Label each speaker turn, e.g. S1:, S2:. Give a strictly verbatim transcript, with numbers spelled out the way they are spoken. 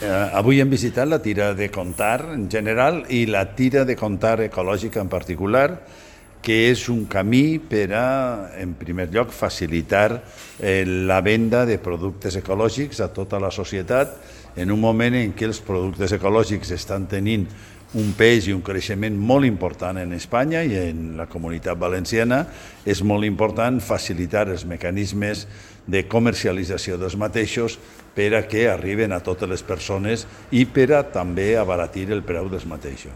S1: eh, avui hem visitat la tira de Contar en general i la tira de Contar ecològica en particular, que és un camí per a, en primer lloc, facilitar eh, la venda de productes ecològics a tota la societat en un moment en què els productes ecològics estan tenint un pes i un creixement molt important en Espanya i en la Comunitat Valenciana. És molt important facilitar els mecanismes de comercialització dels mateixos per a que arriben a totes les persones i per a també abaratir el preu dels mateixos.